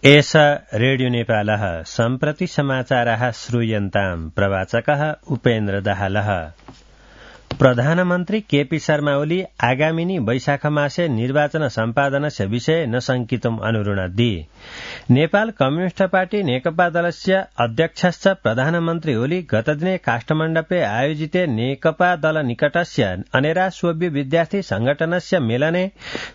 एष रेडियो नेपालः सम्प्रति समाचाराः श्रूयन्ताम् प्रवाचकः उपेन्द्र दाहालः। प्रधानमन्त्री केपी शर्मा ओली आगामिनी वैशाखमासे निर्वाचन सम्पादनस्य विषये न शङ्कितुम् अनुरुणद्धि। नेपाल कम्युनिस्ट पार्टी नेकपा दलस्य अध्यक्षश्च प्रधानमन्त्री ओली गतदिने काष्ठमण्डपे आयोजिते नेकपा दल निकटस्य अनेरा सोभि विद्यार्थी संगठनस्य मेलने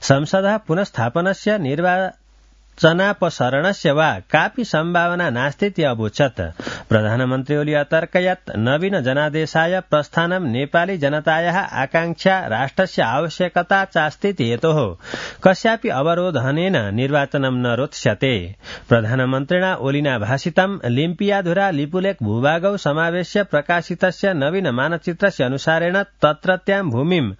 संसदः पुनस्थापनस्य निर्वाचनापसरणस्य वा कापि सम्भावना नास्तीति अवोचत्। प्रधानमन्त्री ओली अतर्कयत् नवीन जनादेशाय प्रस्थानं नेपाली जनतायाः आकांक्षा राष्ट्रस्य आवश्यकता चास्तीति हेतोः कस्यापि अवरोधनेन निर्वाचनं न रोत्स्यते। प्रधानमन्त्रिणा ओलिना भाषितं लिम्पियाधुरा लिपुलेख भूभागौ समावेश्य प्रकाशितस्य नवीन मानचित्रस्य अनुसारेण तत्रत्यां भूमिं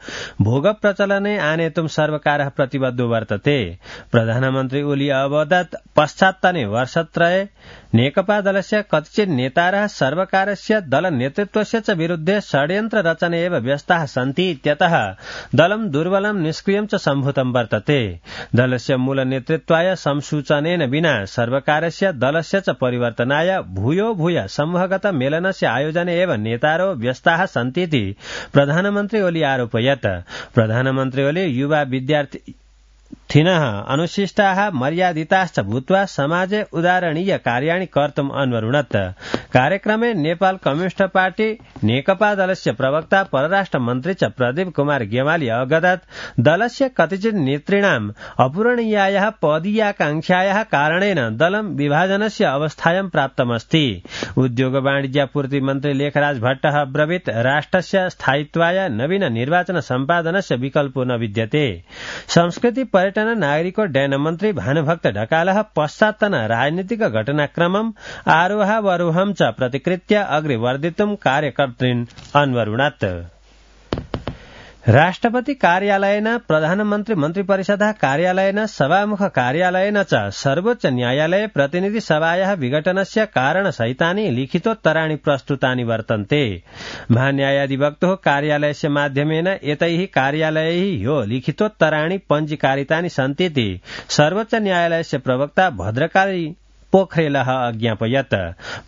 भोगप्रचलने आनेतुं सर्वकारः प्रतिबद्धो वर्तते। प्रधानमन्त्री ओली अवदत् पश्चात्तने वर्षत्रये नेकपा दलस्य कतिचित् नेतारः सर्वकारस्य दल नेतृत्वस्य च विरुद्धे षड्यन्त्र रचने एव व्यस्ताः सन्ति इत्यतः दलं दुर्बलं निष्क्रियं च सम्भूतं वर्तते। दलस्य मूल नेतृत्वाय संसूचनेन विना सर्वकारस्य दलस्य च परिवर्तनाय भूयो भूय समूहगत मेलनस्य आयोजने एव नेतारो व्यस्ताः सन्तीति प्रधानमन्त्री ओली आरोपयत्। प्रधानमन्त्री ओली युवा विद्यार्थिनः अनुशिष्टाः मर्यादिताश्च भूत्वा समाजे उदाहरणीय कार्याणि कर्तुम् अन्वरुणत्। कार्यक्रमे नेपाल कम्युनिस्ट पार्टी नेकपा दलस्य प्रवक्ता परराष्ट्र मन्त्री च प्रदीप कुमार गेवाली अवगदत् दलस्य कतिचित् नेतॄणाम् अपूरणीयायाः पदीयाकांक्षायाः कारणेन दलं विभाजनस्य अवस्थायां प्राप्तमस्ति। उद्योग वाणिज्यापूर्ति मन्त्री लेखराज भट्टः अब्रवीत् राष्ट्रस्य स्थायित्वाय नवीन निर्वाचन सम्पादनस्य विकल्पो न विद्यते। संस्कृति पर्यटन नागरिकोड्डयन मन्त्री भानुभक्त ढकालः पश्चात्तन राजनीतिक घटनाक्रमम् आरोहावरोहं च प्रतिकृत्य अग्रे वर्धितुं कार्यकर्तॄन् अन्वरुणत्। राष्ट्रपति कार्यालयेन प्रधानमन्त्री मन्त्रिपरिषदः कार्यालयेन सभामुख कार्यालयेन च सर्वोच्च न्यायालये प्रतिनिधि सभायाः विघटनस्य कारणसहितानि लिखितोत्तराणि प्रस्तुतानि वर्तन्ते। महान्यायाधिवक्तुः कार्यालयस्य माध्यमेन एतैः कार्यालयैः ह्यो लिखितोत्तराणि पञ्जीकारितानि सन्तीति सर्वोच्च न्यायालयस्य प्रवक्ता भद्रकाली पोखरेलः अज्ञापयत्।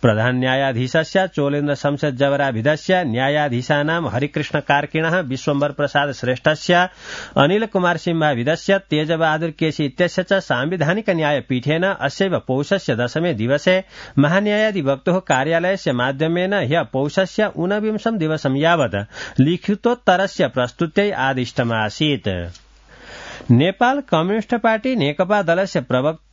प्रधान न्यायाधीशस्य चोलेन्द्र शमशेर जवराभिधस्य न्यायाधीशानां हरिकृष्ण कार्किणः विश्वम्भर प्रसाद श्रेष्ठस्य अनिल कुमार सिंहाभिधस्य तेजबहादुर केसी इत्यस्य च सांविधानिक न्यायपीठेन अस्यैव पौषस्य 10 दिवसे महान्यायाधिवक्तुः कार्यालयस्य माध्यमेन ह्य पौषस्य 29 दिवसं यावत् लिखितोत्तरस्य प्रस्तुत्यै आदिष्टमासीत्। नेपाल कम्युनिस्ट पार्टी नेकपा दलस्य प्रवक्ता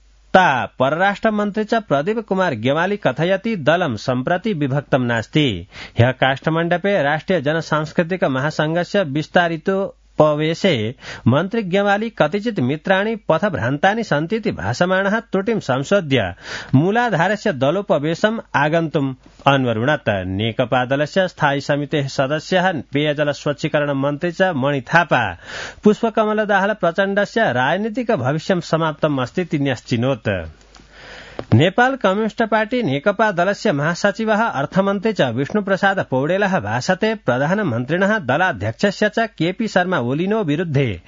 परराष्ट्र मन्त्री च प्रदीप कुमार गेवाली कथयति दलं सम्प्रति विभक्तं नास्ति। ह्यः काष्ठमण्डपे राष्ट्रिय जनसांस्कृतिक महासंघस्य विस्तारितोपवेशे मन्त्री गेवाली कतिचित् मित्राणि पथभ्रान्तानि सन्तीति भाषमाणः त्रुटिं संशोध्य मूलाधारस्य दलोपवेशम् आगन्तुम् अन्वरुणत्। नेकपा दलस्य स्थायी समितेः सदस्यः पेयजल स्वच्छीकरण मन्त्री च मणि थापा पुष्पकमल दाहाल प्रचण्डस्य राजनीतिक भविष्यं समाप्तम् अस्ति न्यश्चिनोत्। नेपाल कम्युनिस्ट पार्टी नेकपा दलस्य महासचिवः अर्थमन्त्री च विष्णुप्रसाद पौडेलः भाषते प्रधानमन्त्रिणः दलाध्यक्षस्य च केपी शर्मा ओलिनो विरुद्धे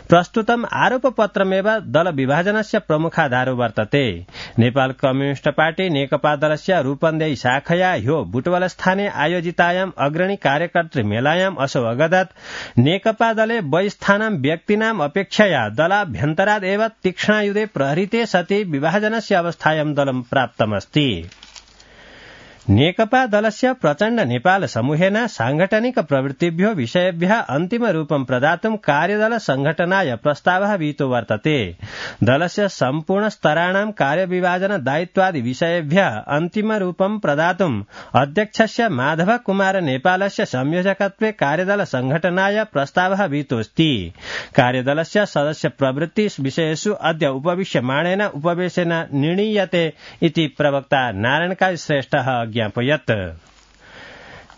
प्रस्तुतम् आरोपपत्रमेव दल विभाजनस्य प्रमुखाधारो वर्तते। नेपाल कम्युनिस्ट पार्टी नेकपा दलस्य रूपन्देही शाखया ह्यो बुटवलस्थाने आयोजितायाम् अग्रणी कार्यकर्तृ मेलायाम् असौ अवगदत् नेकपा दले वयस्थानां व्यक्तीनाम् अपेक्षया दलाभ्यन्तराद् एव तीक्ष्णायुधे प्रहृते सति विभाजनस्य अवस्थायां दलं प्राप्तमस्ति। नेकपा दलस्य प्रचण्ड नेपाल समूहेन सांगठनिक प्रवृत्तिभ्यो विषयेभ्यः अन्तिम रूपं प्रदातुं कार्यदल संघटनाय प्रस्तावः विहितो वर्तते। दलस्य सम्पूर्ण स्तराणां कार्यविभाजन दायित्वादि विषयेभ्यः अन्तिम रूपं प्रदातुं अध्यक्षस्य माधव कुमार नेपालस्य संयोजकत्वे कार्यदल संघटनाय प्रस्तावः विहितोऽस्ति। कार्यदलस्य सदस्य प्रवृत्ति विषयेषु अद्य उपविश्यमाणेन उपवेशेन निर्णीयते इति प्रवक्ता नारायणकाली श्रेष्ठः ज्ञापयत्।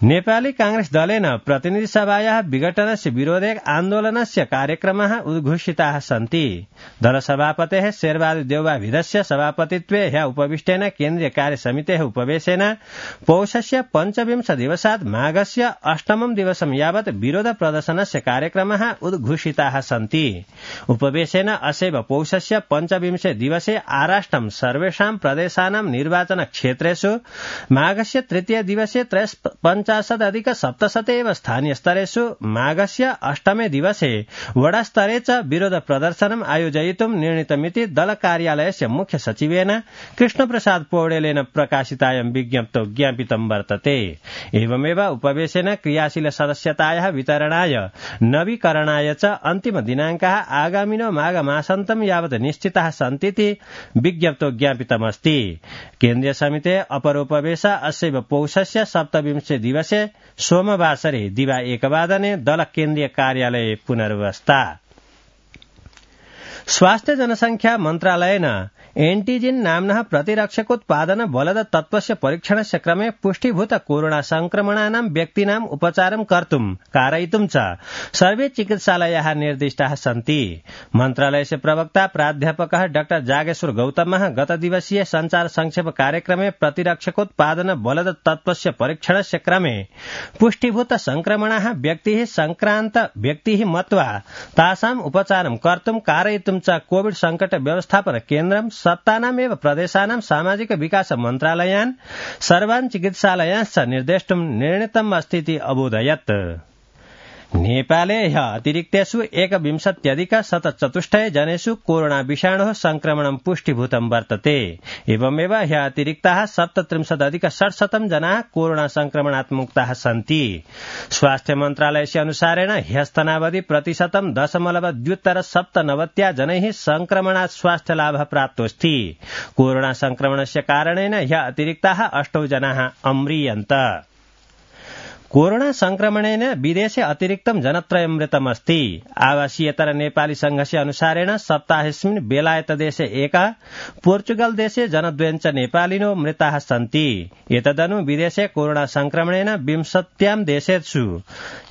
नेपाली कांग्रेस दलेन प्रतिनिधि सभायाः विघटनस्य विरोधे आन्दोलनस्य कार्यक्रमाः उद्घोषिताः सन्ति। दलसभापतेः शेरबहादुर देउवाभिधस्य सभापतित्वे ह्यः उपविष्टेन केन्द्रीय कार्यसमितेः उपवेशेन पौषस्य 25 दिवसात् माघस्य 8 दिवसं यावत् विरोध प्रदर्शनस्य कार्यक्रमाः उद्घोषिताः सन्ति। उपवेशेन असैव पौषस्य 25 दिवसे आराष्ट्रं सर्वेषां प्रदेशानां निर्वाचन क्षेत्रेषु माघस्य 3 दिवसे 50+ एव स्थानीय स्तरेषु माघस्य 8 दिवसे वडास्तरे च विरोध प्रदर्शनम् आयोजयितुं निर्णीतमिति दल कार्यालयस्य मुख्य सचिवेन कृष्णप्रसाद पौडेलेन प्रकाशितायां विज्ञप्तौ ज्ञापितं वर्तते। एवमेव उपवेशेन क्रियाशील सदस्यतायाः वितरणाय नवीकरणाय च अन्तिम दिनाङ्काः आगामिनो माघमासान्तं यावत् निश्चिताः सन्तीति विज्ञप्तौ ज्ञापितमस्ति। केन्द्रीय समिते अपरोपवेश अस्यैव पौषस्य 27 दिवसे सोमवासरे दिवा 1 वादने दल केन्द्रीय कार्यालये पुनर्वस्था। स्वास्थ्य जनसंख्या मन्त्रालयेन एन्टिजेन नाम्नः प्रतिरक्षकोत्पादन बलद तत्त्वस्य परीक्षणस्य क्रमे पुष्टीभूत कोरोना संक्रमणानां व्यक्तीनां उपचारं कर्तुं कारयितुं च सर्वे चिकित्सालयाः निर्दिष्टाः सन्ति। मन्त्रालयस्य प्रवक्ता प्राध्यापकः डाक्टर जागेश्वर गौतमः गतदिवसीय संचार संक्षेप कार्यक्रमे प्रतिरक्षकोत्पादन बलद तत्त्वस्य परीक्षणस्य क्रमे पुष्टीभूत संक्रमणाः व्यक्तिः संक्रान्त व्यक्तिः मत्वा तासाम् उपचारं कर्तुं कारयितुं च कोविड संकट व्यवस्थापन केन्द्रं सत्तानामेव प्रदेशानां सामाजिक विकास मन्त्रालयान् सर्वान् चिकित्सालयांश्च निर्देष्टुं निर्णीतम् अस्तीति अबोधयत्। नेपाले ह्यः अतिरिक्तेषु 21,104 जनेषु कोरोना विषाणोः संक्रमणं पुष्टीभूतं वर्तते। एवमेव ह्यः अतिरिक्ताः 37,600 जनाः कोरोना संक्रमणात् मुक्ताः सन्ति। स्वास्थ्य मन्त्रालयस्य अनुसारेण ह्यस्तनावधि प्रतिशतं 0.297 जनैः संक्रमणात् स्वास्थ्य लाभः प्राप्तोऽस्ति। कोरोना संक्रमणस्य कारणेन ह्यः अतिरिक्ताः 8 जनाः अम्रियन्त। कोरोना संक्रमणेन विदेशे अतिरिक्तं जनत्रयं मृतमस्ति। आवासीयतर नेपाली संघस्य अनुसारेण सप्ताहेऽस्मिन् बेलायतदेशे 1, पोर्चुगल देशे जनद्वयञ्च नेपालिनो मृताः सन्ति। एतदनु विदेशे कोरोना संक्रमणेन 20 देशेषु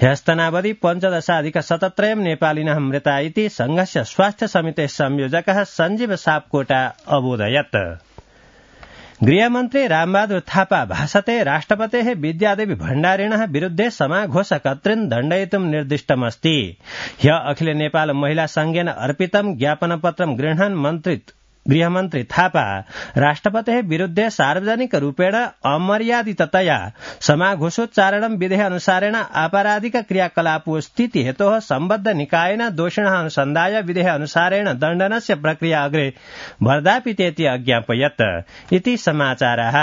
ह्यस्तनावधि 15,17 नेपालिनः मृता इति संघस्य स्वास्थ्य समितेः संयोजकः सञ्जीव सापकोटा अबोधयत्। गृहमन्त्री रामबहादुर थापा भाषते राष्ट्रपतेः विद्यादेवी भण्डारिणः विरुद्धे समाघोषकर्तॄन् दण्डयितुं निर्दिष्टमस्ति। ह्यः अखिल नेपाल महिला संघेन अर्पितं ज्ञापनपत्रं गृह्णन् गृहमन्त्री थापा राष्ट्रपतेः विरुद्धे सार्वजनिक रूपेण अमर्यादिततया समाघोषोच्चारणं विधेः अनुसारेण आपराधिक क्रियाकलापो स्थिति हेतोः सम्बद्ध निकायेन दोषिणः अनुसन्धाय विधेः अनुसारेण दण्डनस्य प्रक्रिया अग्रे वर्धापितेति अज्ञापयत् इति समाचारः।